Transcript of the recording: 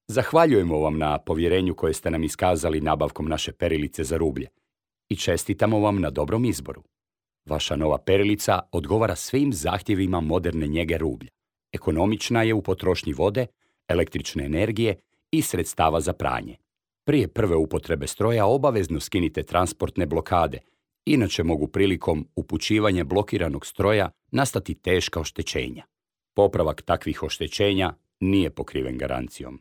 Zahvaljujemo vam na povjerenju koje ste nam iskazali nabavkom naše perilice za rublje i čestitamo vam na dobrom izboru. Vaša nova perilica odgovara svim zahtjevima moderne njege rublja. Ekonomična je u potrošnji vode, električne energije i sredstava za pranje. Prije prve upotrebe stroja obavezno skinite transportne blokade, inače mogu prilikom upućivanja blokiranog stroja nastati teška oštećenja. Popravak takvih oštećenja nije pokriven garancijom.